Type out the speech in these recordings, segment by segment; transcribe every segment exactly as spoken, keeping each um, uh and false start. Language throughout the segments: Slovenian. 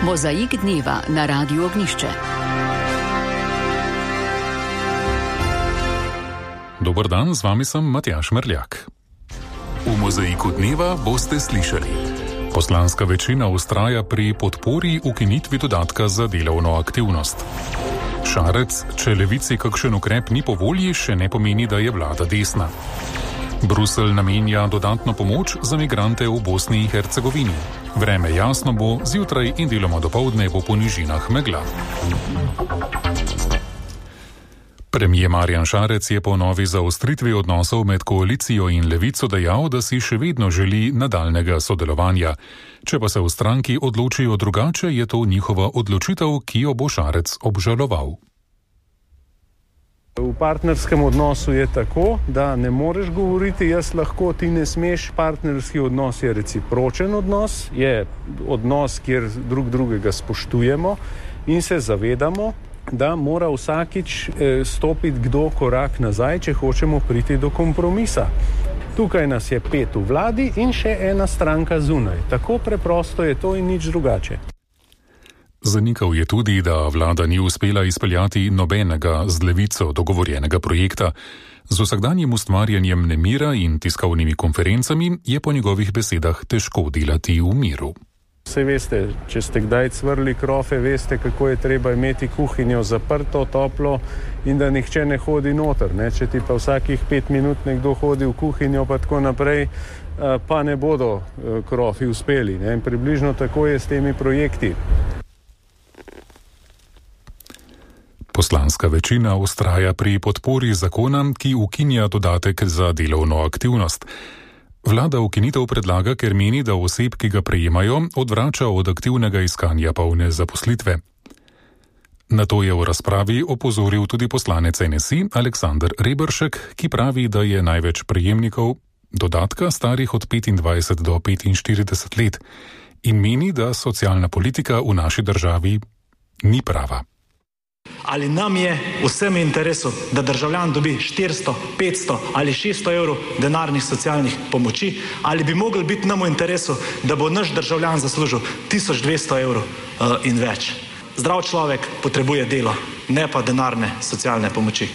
Mozaik dneva na Radiu Ognišče. Dober dan, z vami sem Matjaž Merljak. V Mozaiku dneva boste slišali: poslanska večina vztraja pri podpori ukinitvi dodatka za delovno aktivnost. Šarec, če Levici kakšen ukrep ni po volji, še ne pomeni, da je vlada desna. Bruselj namenja dodatno pomoč za migrante v Bosni in Hercegovini. Vreme jasno bo, zjutraj in deloma dopoldne bo po nižinah megla. Premier Marjan Šarec je po novi zaostritvi odnosov med koalicijo in Levico dejal, da si še vedno želi nadaljnega sodelovanja. Če pa se v stranki odločijo drugače, je to njihova odločitev, ki jo bo Šarec obžaloval. V partnerskem odnosu je tako, da ne moreš govoriti jaz lahko, ti ne smeš. Partnerski odnos je recipročen odnos, je odnos, kjer drug drugega spoštujemo in se zavedamo, da mora vsakič stopiti kdo korak nazaj, če hočemo priti do kompromisa. Tukaj nas je pet v vladi in še ena stranka zunaj. Tako preprosto je to in nič drugače. Zanikal je tudi, da vlada ni uspela izpeljati nobenega z Levico dogovorjenega projekta. Z vsakdanjim ustvarjanjem nemira in tiskovnimi konferencami je po njegovih besedah težko delati v miru. Saj veste, če ste kdaj cvrli krofe, veste, kako je treba imeti kuhinjo zaprto, toplo in da nihče ne hodi noter. Ne? Če ti pa vsakih pet minut nekdo hodi v kuhinjo pa tako naprej, pa ne bodo krofi uspeli. Ne? In približno tako je s temi projekti. Poslanska večina vztraja pri podpori zakona, ki ukinja dodatek za delovno aktivnost. Vlada ukinitev predlaga, ker meni, da oseb, ki ga prejemajo, odvrača od aktivnega iskanja polne zaposlitve. Na to je v razpravi opozoril tudi poslanec N S I Aleksander Reberšek, ki pravi, da je največ prejemnikov dodatka starih od petindvajset do petinštirideset let in meni, da socialna politika v naši državi ni prava. Ali nam je vsem interesu, da državljan dobi štiristo, petsto ali šeststo evrov denarnih socialnih pomoči, ali bi mogli biti nam v interesu, da bo naš državljan zaslužil tisoč dvesto evrov uh, in več. Zdrav človek potrebuje delo, ne pa denarne socialne pomoči.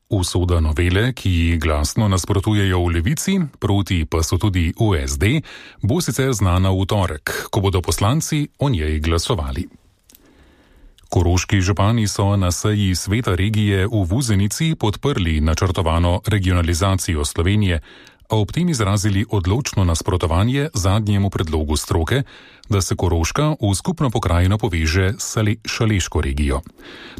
Usoda novele, ki ji glasno nasprotujejo v Levici, proti pa so tudi v S D, bo sicer znana v torek, ko bodo poslanci o njej glasovali. Koroški župani so na seji sveta regije v Vuzenici podprli načrtovano regionalizacijo Slovenije, a ob tem izrazili odločno nasprotovanje zadnjemu predlogu stroke, da se Koroška v skupno pokrajino poveže s Šaleško regijo.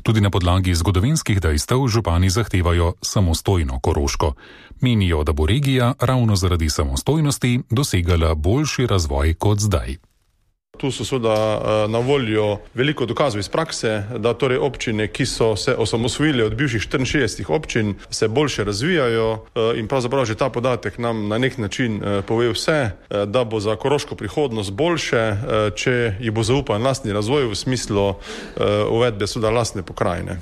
Tudi na podlagi zgodovinskih dejstev župani zahtevajo samostojno Koroško. Menijo, da bo regija ravno zaradi samostojnosti dosegala boljši razvoj kot zdaj. Tu so seveda na voljo veliko dokazov iz prakse, da torej občine, ki so se osamosvojile od bivših štiriinšestdesetih občin, se boljše razvijajo in pravzaprav že ta podatek nam na nek način pove vse, da bo za koroško prihodnost boljše, če ji bo zaupan lastni razvoj v smislu uvedbe seveda lastne pokrajine.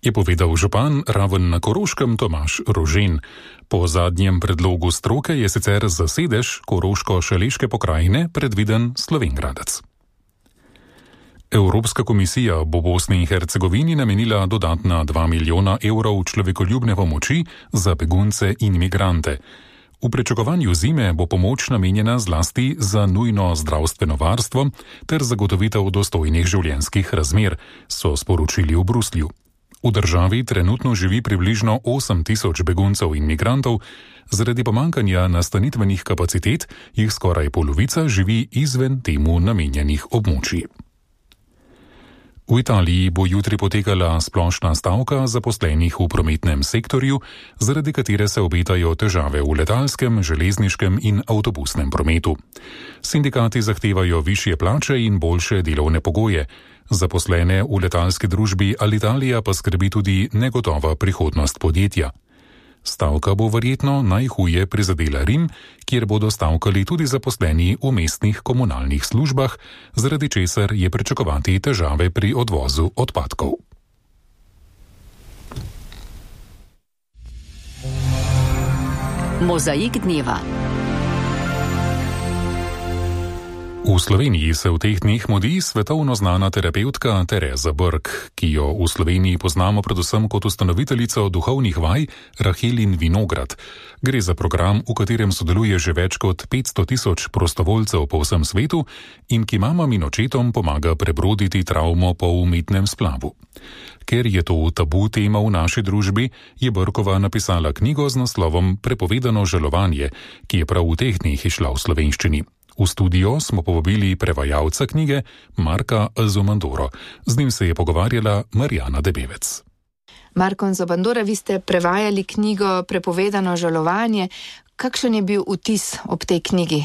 Je povedal župan Raven na Koroškem Tomaž Rožen. Po zadnjem predlogu stroke je sicer za sedež Koroško-Šaleške pokrajine predviden Slovenj Gradec. Evropska komisija bo Bosni in Hercegovini namenila dodatna dva milijona evrov človekoljubne pomoči za begunce in migrante. V pričakovanju zime bo pomoč namenjena zlasti za nujno zdravstveno varstvo ter zagotovitev dostojnih življenjskih razmer, so sporočili v Bruslju. V državi trenutno živi približno osem tisoč beguncev in migrantov, zaradi pomanjkanja nastanitvenih kapacitet jih skoraj polovica živi izven temu namenjenih območij. V Italiji bo jutri potekala splošna stavka zaposlenih v prometnem sektorju, zaradi katere se obetajo težave v letalskem, železniškem in avtobusnem prometu. Sindikati zahtevajo višje plače in boljše delovne pogoje. Zaposlene v letalski družbi Alitalia pa skrbi tudi negotova prihodnost podjetja. Stavka bo verjetno najhuje prizadela Rim, kjer bodo stavkali tudi zaposleni v mestnih komunalnih službah, zaradi česar je pričakovati težave pri odvozu odpadkov. Mozaik dneva. V Sloveniji se v teh dneh mudi svetovno znana terapevtka Tereza Brk, ki jo v Sloveniji poznamo predvsem kot ustanoviteljico duhovnih vaj Rahelin Vinograd. Gre za program, v katerem sodeluje že več kot petsto tisoč prostovoljcev po vsem svetu in ki mamam in očetom pomaga prebroditi travmo po umetnem splavu. Ker je to tabu tema v naši družbi, je Brkova napisala knjigo z naslovom Prepovedano žalovanje, ki je prav v teh dneh izšla v slovenščini. V studio smo povabili prevajalca knjige Marka Zobandoro. Z njim se je pogovarjala Marjana Debevec. Marko Zobandoro, vi ste prevajali knjigo Prepovedano žalovanje. Kakšen je bil vtis ob tej knjigi?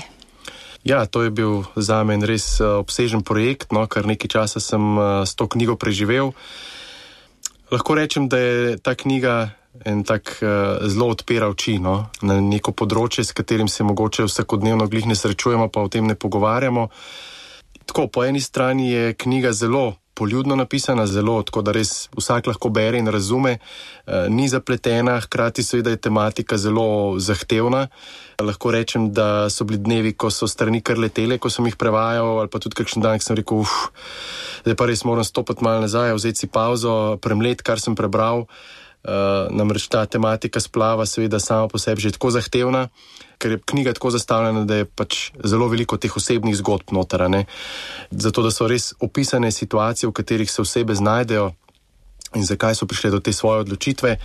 Ja, to je bil zame res obsežen projekt, no, kar nekaj časa sem s to knjigo preživel. Lahko rečem, da je ta knjiga en tak uh, zelo odpira oči, no, na neko področje, s katerim se mogoče vsakodnevno glih ne srečujemo, pa o tem ne pogovarjamo. Tako, po eni strani je knjiga zelo poljudno napisana, zelo, tako da res vsak lahko bere in razume, uh, ni zapletena, hkrati seveda je tematika zelo zahtevna. Lahko rečem, da so bili dnevi, ko so strani kar letele, ko sem jih prevajal, ali pa tudi kakšen dan, ki sem rekel, uf, zdaj pa res moram stopiti malo nazaj, vzeti si pauzo, premlet, kar sem prebral. Uh, namreč ta tematika splava seveda sama po sebi že tako zahtevna, ker je knjiga tako zastavljena, da je pač zelo veliko teh osebnih zgodb noter, ne. Zato, da so res opisane situacije, v katerih se osebe znajdejo in zakaj so prišle do te svoje odločitve.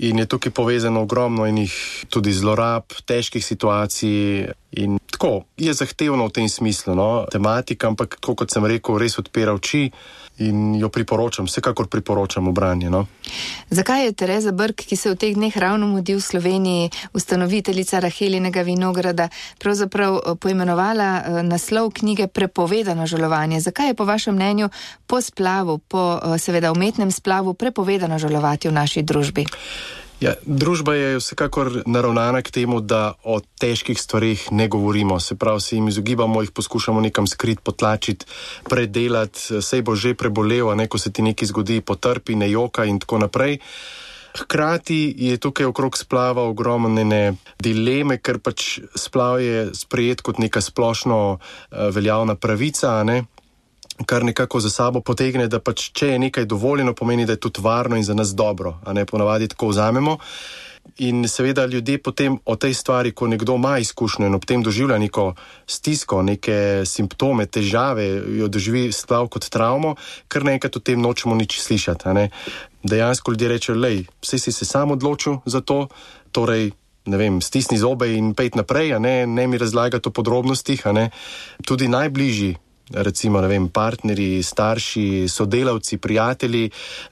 In je tukaj povezano ogromno enih tudi zlorab, težkih situacij in tako, je zahtevno v tem smislu, no, tematika, ampak tako kot sem rekel, res odpira oči in jo priporočam, vsekakor priporočam v branje, no. Zakaj je Tereza Brk, ki se v teh dneh ravno mudi v Sloveniji, ustanoviteljica Rahelinega Vinograda, pravzaprav poimenovala naslov knjige Prepovedano žalovanje? Zakaj je po vašem mnenju po splavu, po seveda umetnem splavu prepovedano žalovati v naši družbi? Ja, družba je vsekakor naravnana k temu, da o težkih stvarih ne govorimo. Se pravi, se jim izogibamo, jih poskušamo nekam skrit, potlačiti, predelati, sej bo že prebolel, a ne, ko se ti nekaj zgodi, potrpi, ne joka in tako naprej. Hkrati je tukaj okrog splava ogromne dileme, ker pač splav je sprejet kot neka splošno uh, veljavna pravica, a ne, kar nekako za sabo potegne, da pač če je nekaj dovoljeno, pomeni, da je tudi varno in za nas dobro, a ne, ponavadi tako vzamemo. In seveda ljudje potem o tej stvari, ko nekdo ima izkušnjo in ob tem doživlja neko stisko, neke simptome, težave, jo doživi splav kot travmo, kar naenkrat o tem nočemo nič slišati, a ne. Dejansko ljudje rečejo, lej, vsi si se sam odločil za to, torej, ne vem, stisni zobe in pejt naprej, a ne, ne mi razlagati o podrobnostih, a ne. Tudi najbližji, recimo, ne vem, partnerji, starši, sodelavci, prijatelji,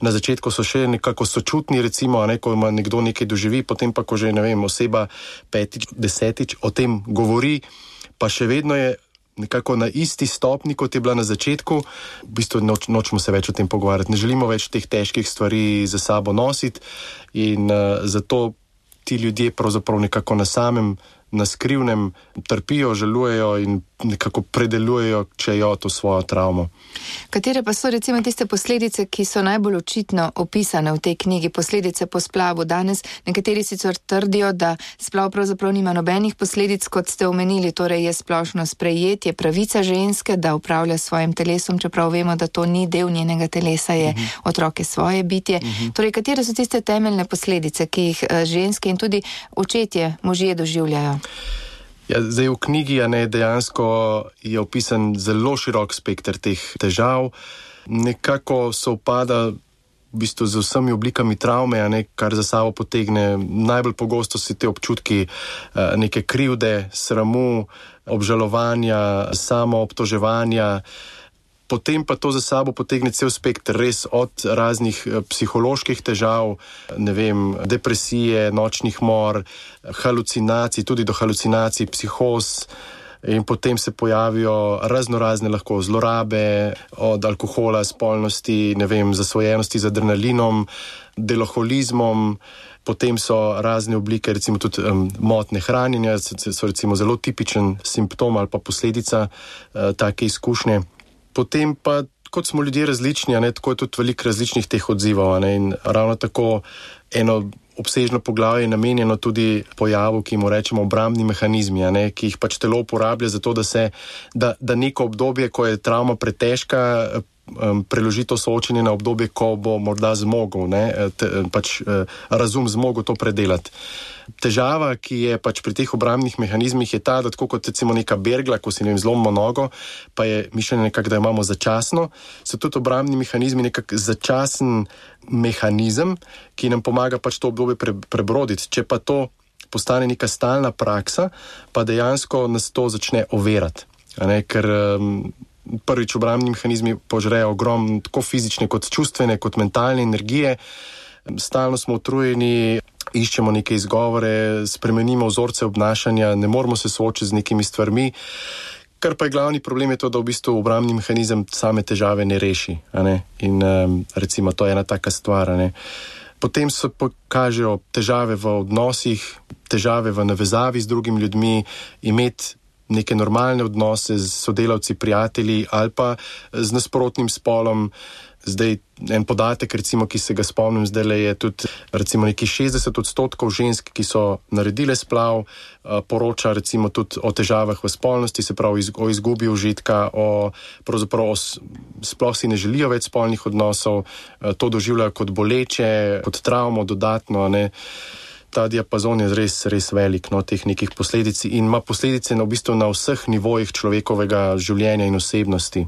na začetku so še nekako sočutni, recimo, a ne, ko ima nekdo nekaj doživi, potem pa, ko že, ne vem, oseba petič, desetič o tem govori, pa še vedno je nekako na isti stopni, kot je bila na začetku, v bistvu noč, nočemo se več o tem pogovarjati, ne želimo več teh težkih stvari za sabo nositi in uh, zato ti ljudje pravzaprav nekako na samem, na skrivnem trpijo, žalujejo in nekako predelujejo, če jo to svojo travmo. Katere pa so recimo tiste posledice, ki so najbolj očitno opisane v tej knjigi, posledice po splavu? Danes nekateri sicer trdijo, da splav pravzaprav nima nobenih posledic, kot ste omenili, torej je splošno sprejetje, pravica ženske, da upravlja s svojim telesom, čeprav vemo, da to ni del njenega telesa, je uh-huh. otroke svoje bitje. Uh-huh. Torej, katere so tiste temeljne posledice, ki jih ženske in tudi očetje, možje doživljajo? Ja, zdaj v knjigi, a ne, dejansko je opisan zelo širok spekter teh težav. Nekako sovpada v bistvu z vsemi oblikami travme, a ne, kar za sabo potegne. Najbolj pogosto si te občutki neke krivde, sramu, obžalovanja, samoobtoževanja. Potem pa to za sabo potegne cel spektr, res od raznih psiholoških težav, ne vem, depresije, nočnih mor, halucinacij, tudi do halucinacij, psihoz, in potem se pojavijo raznorazne lahko zlorabe, od alkohola, spolnosti, ne vem, zasvojenosti z adrenalinom, deloholizmom. Potem so razne oblike, recimo tudi um, motnje hranjenja, so recimo zelo tipičen simptom ali pa posledica uh, take izkušnje. Potem pa, kot smo ljudje različni, a ne, tako je tudi veliko različnih teh odzivov, a ne, in ravno tako eno obsežno poglavje namenjeno tudi pojavu, ki mu rečemo obrambni mehanizmi, a ne, ki jih pač telo uporablja za to, da se, da, da neko obdobje, ko je travma pretežka, um, preloži to soočenje na obdobje, ko bo morda zmogel, ne, te, pač uh, razum zmogel to predelati. Težava, ki je pač pri teh obrambnih mehanizmih, je ta, da tako kot recimo neka bergla, ko si ne vem, zlomimo nogo, pa je mišljenje nekako, da imamo začasno, so tudi obrambni mehanizmi nekak začasen mehanizem, ki nam pomaga pač to obdobje pre, prebroditi. Če pa to postane neka stalna praksa, pa dejansko nas to začne overati. A ne, ker um, prvič obrambni mehanizmi požrejo ogromno tako fizične kot čustvene, kot mentalne energije. Stalno smo utrujeni, iščemo neke izgovore, spremenimo vzorce obnašanja, ne moramo se soočiti z nekimi stvarmi. Kar pa je glavni problem je to, da v bistvu obrambni mehanizem same težave ne reši. A ne? In um, recimo to je ena taka stvar. A ne? Potem se pokažejo težave v odnosih, težave v navezavi z drugimi ljudmi, imeti neke normalne odnose z sodelavci, prijatelji ali pa z nasprotnim spolom. Zdaj, en podatek, recimo, ki se ga spomnim zdaj, je tudi recimo nekih šestdeset odstotkov žensk, ki so naredile splav, poroča recimo tudi o težavah v spolnosti, se pravi o izgubi užitka, o pravzaprav o, sploh si ne želijo več spolnih odnosov, to doživljajo kot boleče, kot travmo dodatno, ne. Ta diapazon je res, res velik, no, teh nekih posledic in ima posledice na, v bistvu na vseh nivojih človekovega življenja in osebnosti.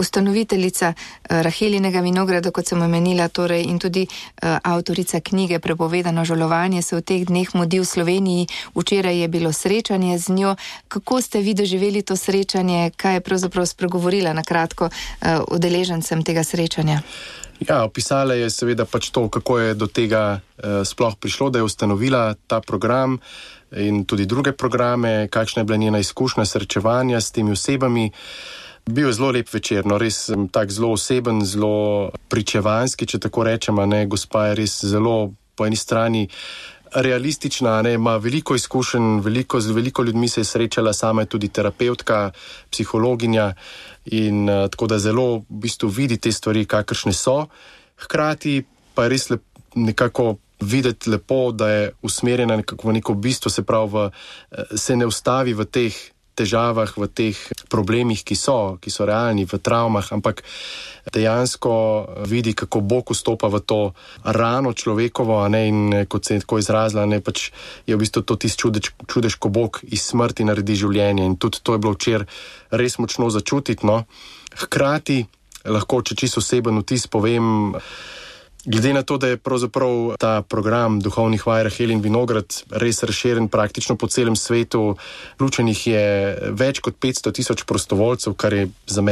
Ustanoviteljica Rahelinega vinograda, kot sem omenila, torej in tudi uh, avtorica knjige Prepovedano žalovanje se v teh dneh mudi v Sloveniji. Včeraj je bilo srečanje z njo. Kako ste vi doživeli to srečanje? Kaj je pravzaprav spregovorila na kratko uh, udeležencem tega srečanja? Ja, opisala je seveda pač to, kako je do tega uh, sploh prišlo, da je ustanovila ta program in tudi druge programe, kakšna je bila njena izkušnja srečevanja s temi osebami. Bil je zelo lep večer, no, res tak zelo oseben, zelo pričevanski, če tako rečem, ne, gospa je res zelo po eni strani realistična, ne, ima veliko izkušenj, veliko, z veliko ljudmi se je srečala, sama je tudi terapeutka, psihologinja in uh, tako da zelo v bistvu vidi te stvari, kakršne so. Hkrati pa je res lep, nekako videti lepo, da je usmerjena nekako v neko bistvo, se pravi, v, se ne ustavi v teh težavah, v teh problemih, ki so, ki so realni, v travmah, ampak dejansko vidi, kako Bog vstopa v to rano človekovo, a ne, in kot se je tako izrazila, ne, pač je v bistvu to tisti čudež, čudež, ko Bog iz smrti naredi življenje in tudi to je bilo včeraj res močno začutiti, no. Hkrati lahko, če čisto oseben vtis povem, glede na to, da je pravzaprav ta program duhovnih vaj Rahelin vinograd res razširjen praktično po celem svetu, vključenih je več kot petsto tisoč prostovoljcev, kar je za mene